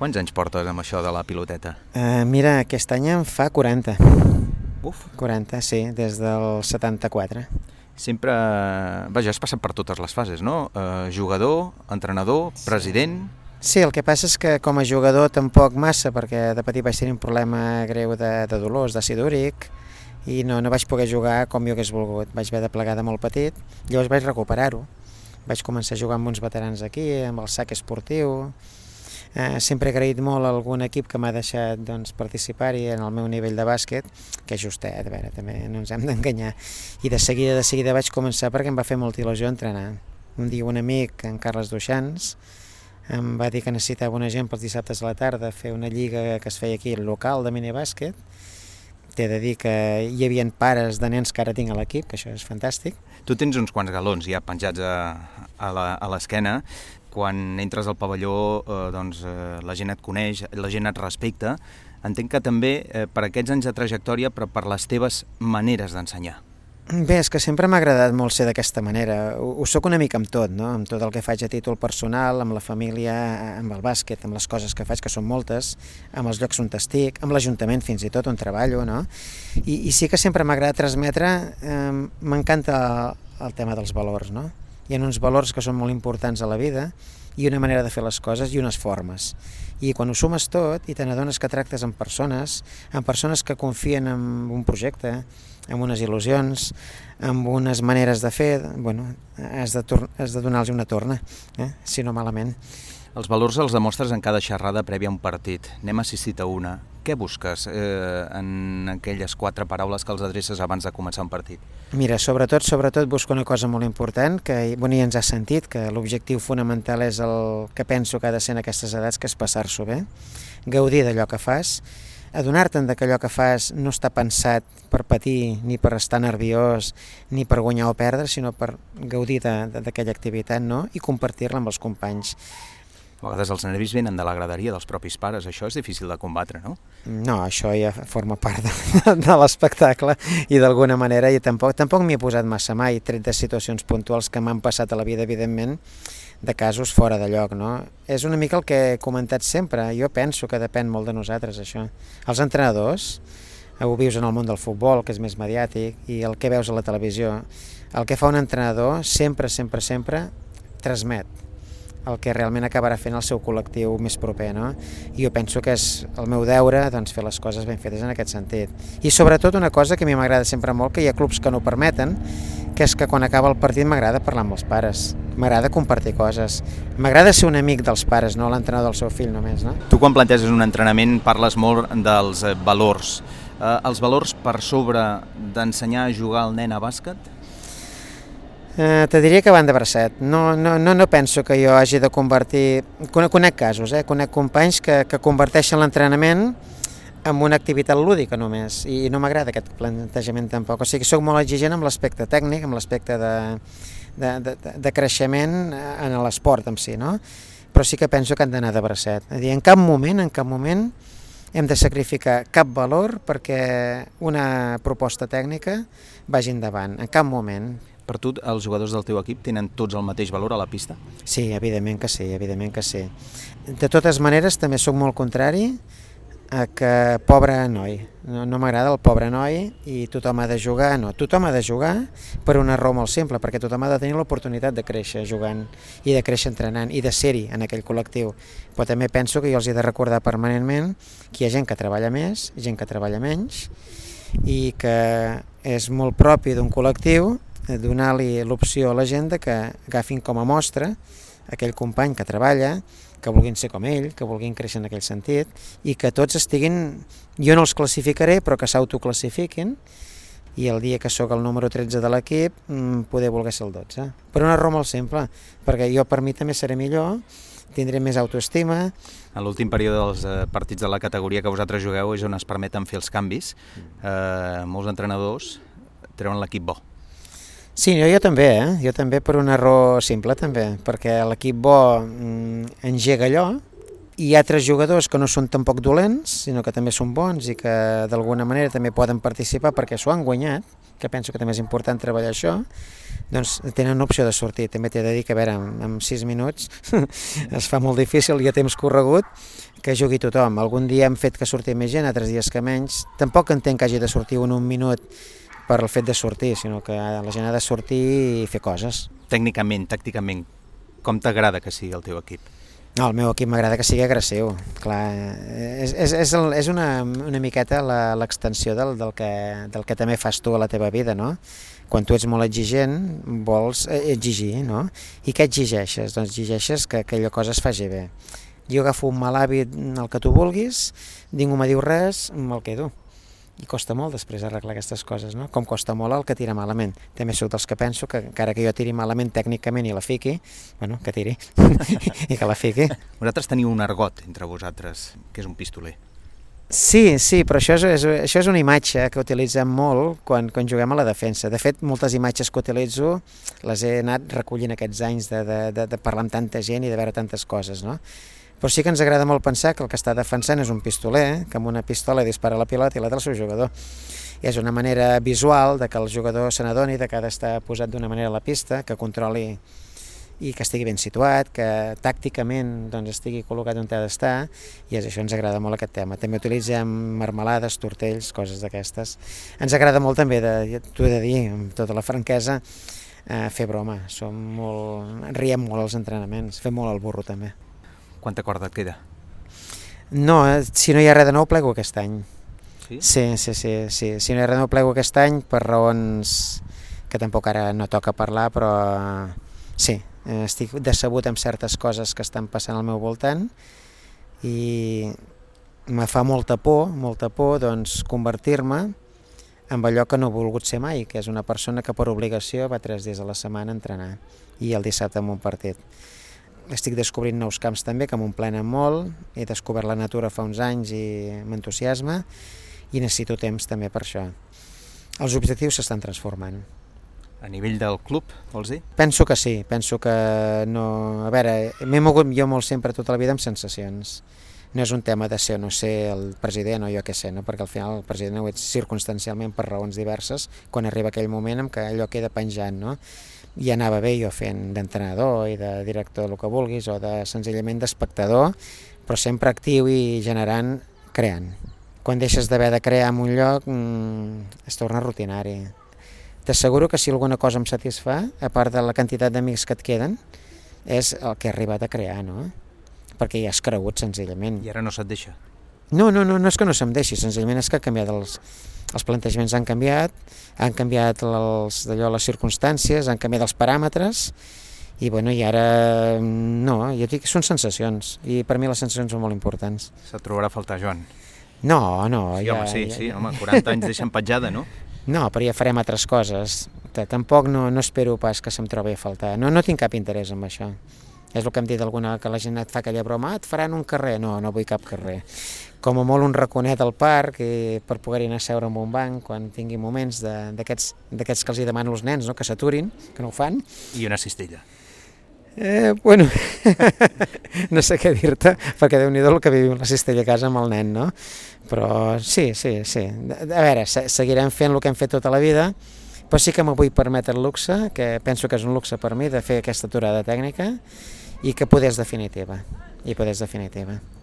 Quants anys portes amb això de la piloteta? Mira, aquest any em fa 40. Uf! 40, sí, des del 74. Sempre... Vaja, has passat per totes les fases, no? Jugador, entrenador, president... Sí, el que passa és que com a jugador tampoc massa, perquè de petit vaig tenir un problema greu de dolors, d'àcid úric, i no vaig poder jugar com jo hagués volgut. Vaig haver de plegar de molt petit, llavors vaig recuperar-ho. Vaig començar a jugar amb uns veterans aquí, amb el sac esportiu. Sempre he agraït molt a algun equip que m'ha deixat participar-hi en el meu nivell de bàsquet, que és justet, a veure, també no ens hem d'enganyar. I de seguida vaig començar perquè em va fer molta il·lusió entrenar. Un dia un amic, en Carles Duixans, em va dir que necessitava una gent pels dissabtes a la tarda fer una lliga que es feia aquí local de minibàsquet. T'he de dir que hi havia pares de nens que ara tinc a l'equip, que això és fantàstic. Tu tens uns quants galons ja penjats a l'esquena. Quan entres al pavelló, la gent et coneix, la gent et respecta. Entenc que també per aquests anys de trajectòria, però per les teves maneres d'ensenyar. Bé, és que sempre m'ha agradat molt ser d'aquesta manera. Ho soc una mica amb tot, no? Amb tot el que faig a títol personal, amb la família, amb el bàsquet, amb les coses que faig, que són moltes, amb els llocs on estic, amb l'Ajuntament fins i tot on treballo, no? I sí que sempre m'ha agradat transmetre, m'encanta el tema dels valors, no? Hi ha uns valors que són molt importants a la vida i una manera de fer les coses i unes formes. I quan ho sumes tot i te n'adones que tractes amb persones que confien en un projecte, amb unes il·lusions, amb unes maneres de fer, has de donar-los una torna, si no malament. Els valors els demostres en cada xerrada prèvia a un partit. N'hem assistit a una. Què busques en aquelles 4 paraules que els adreces abans de començar un partit? Mira, sobretot busco una cosa molt important, que ja ens ha sentit, que l'objectiu fonamental és el que penso que ha de ser en aquestes edats, que és passar-s'ho bé, gaudir d'allò que fas, adonar-te'n que allò que fas no està pensat per patir, ni per estar nerviós, ni per guanyar o perdre, sinó per gaudir d'aquella activitat, no? I compartir-la amb els companys. A vegades els nervis venen de la graderia dels propis pares, això és difícil de combatre, no? No, això ja forma part de l'espectacle i d'alguna manera i tampoc m'hi he posat massa mai, tret de situacions puntuals que m'han passat a la vida, evidentment, de casos fora de lloc, no? És una mica el que he comentat sempre, jo penso que depèn molt de nosaltres, això. Els entrenadors, ho vius en el món del futbol, que és més mediàtic, i el que veus a la televisió, el que fa un entrenador sempre transmet el que realment acabarà fent el seu col·lectiu més proper, no? I jo penso que és el meu deure fer les coses ben fetes en aquest sentit. I sobretot una cosa que a mi m'agrada sempre molt, que hi ha clubs que no ho permeten, que és que quan acaba el partit m'agrada parlar amb els pares, m'agrada compartir coses, m'agrada ser un amic dels pares, no l'entrenador del seu fill només, no? Tu quan planteges un entrenament parles molt dels valors. Els valors per sobre d'ensenyar a jugar al nen a bàsquet? Te diria que van de bracet. No penso que jo hagi de convertir... Conec casos, conec companys que converteixen l'entrenament en una activitat lúdica només, i no m'agrada aquest plantejament tampoc. O sigui, soc molt exigent amb l'aspecte tècnic, amb l'aspecte de creixement en l'esport en si, no? Però sí que penso que han d'anar de bracet. És a dir, en cap moment hem de sacrificar cap valor perquè una proposta tècnica vagi endavant, en cap moment. Per tu, els jugadors del teu equip tenen tots el mateix valor a la pista? Sí, evidentment que sí. De totes maneres, també sóc molt contrari a que pobre noi. No m'agrada el pobre noi i tothom ha de jugar. No, tothom ha de jugar per una raó molt simple, perquè tothom ha de tenir l'oportunitat de créixer jugant i de créixer entrenant i de ser-hi en aquell col·lectiu. Però també penso que jo els he de recordar permanentment que hi ha gent que treballa més, gent que treballa menys i que és molt propi d'un col·lectiu donar-li l'opció a la gent que agafin com a mostra aquell company que treballa, que vulguin ser com ell, que vulguin créixer en aquell sentit i que tots estiguin, jo no els classificaré, però que s'autoclassifiquin i el dia que sóc el número 13 de l'equip poder voler ser el 12. Per una raó molt simple, perquè jo per mi també seré millor, tindré més autoestima. En l'últim període dels partits de la categoria que vosaltres jugueu és on es permeten fer els canvis. Molts entrenadors treuen l'equip bo. Sí, jo també per una raó simple també, perquè l'equip bo engega allò i hi ha 3 jugadors que no són tampoc dolents, sinó que també són bons i que d'alguna manera també poden participar perquè s'ho han guanyat, que penso que també és important treballar això, doncs tenen una opció de sortir. També t'he de dir que, a veure, en 6 minuts es fa molt difícil i a temps corregut que jugui tothom. Algun dia hem fet que surti més gent, altres dies que menys. Tampoc entenc que hagi de sortir un minut per el fet de sortir, sinó que la gent ha de sortir i fer coses. Tècnicament, tàcticament, com t'agrada que sigui el teu equip? No, el meu equip m'agrada que sigui agressiu. Clar, és una miqueta l'extensió del que també fas tu a la teva vida, no? Quan tu ets molt exigent, vols exigir, no? I què exigeixes? Doncs exigeixes que aquella cosa es faci bé. Jo agafo un mal hàbit, el que tu vulguis, ningú me diu res, me'l quedo. I costa molt després arreglar aquestes coses, no? Com costa molt el que tira malament. També soc dels que penso que encara que jo tiri malament tècnicament i la fiqui, bueno, que tiri, i que la fiqui. Vosaltres teniu un argot entre vosaltres, que és un pistoler. Sí, però això és una imatge que utilitzem molt quan juguem a la defensa. De fet, moltes imatges que utilitzo les he anat recollint aquests anys de parlar amb tanta gent i de veure tantes coses, no? Però sí que ens agrada molt pensar que el que està defensant és un pistoler, que amb una pistola dispara la pilota i l'altre el seu jugador. I és una manera visual de que el jugador se n'adoni que ha d'estar posat d'una manera a la pista, que controli i que estigui ben situat, que tàcticament doncs, estigui col·locat on ha d'estar, i això ens agrada molt aquest tema. També utilitzem marmelades, tortells, coses d'aquestes. Ens agrada molt també, t'ho he de dir, amb tota la franquesa, fer broma. Riem molt als entrenaments, fem molt el burro també. Quanta corda et queda? No, si no hi ha res de nou, plego aquest any. Sí? Sí. Si no hi ha res de nou, plego aquest any per raons que tampoc ara no toca parlar, però sí, estic decebut amb certes coses que estan passant al meu voltant i me fa molta por doncs, convertir-me en allò que no he volgut ser mai, que és una persona que per obligació va 3 dies a la setmana a entrenar i el dissabte en un partit. Estic descobrint nous camps també, que m'omplenen molt, he descobert la natura fa uns anys i m'entusiasma i necessito temps també per això. Els objectius s'estan transformant. A nivell del club, vols dir? Penso que sí, penso que no... A veure, m'he mogut jo molt sempre tota la vida amb sensacions. No és un tema de ser o no ser el president o jo què sé, no? Perquè al final el president ho ets circumstancialment per raons diverses quan arriba aquell moment en què allò queda penjant, no? I anava bé jo fent d'entrenador i de director del que vulguis o de senzillament d'espectador, però sempre actiu i generant, creant. Quan deixes d'haver de crear en un lloc es torna rutinari. T'asseguro que si alguna cosa em satisfà, a part de la quantitat d'amics que et queden, és el que he arribat a crear, no? Perquè ja has cregut senzillament. I ara no se't deixa? No és que no se'm deixi, senzillament és que han canviat els plantejaments, han canviat les circumstàncies, han canviat els paràmetres i ara no, jo dic que són sensacions i per mi les sensacions són molt importants. Se't trobarà a faltar, Joan? No. Sí, home, 40 anys deixen petjada, no? No, però ja farem altres coses. Tampoc no espero pas que se'm trobi a faltar. No tinc cap interès en això. És el que hem dit alguna, que la gent et fa aquella broma, et faran un carrer. No vull cap carrer. Com a molt un raconet al parc per poder-hi anar a seure en un banc quan tingui moments d'aquests que els hi demano als nens, no? Que s'aturin, que no ho fan. I una cistella. No sé què dir-te, perquè Déu-n'hi-do el que vivim la cistella a casa amb el nen, no? Però sí. A veure, seguirem fent el que hem fet tota la vida, però sí que m'ho vull permetre el luxe, que penso que és un luxe per mi, de fer aquesta aturada tècnica i que poder és definitiva.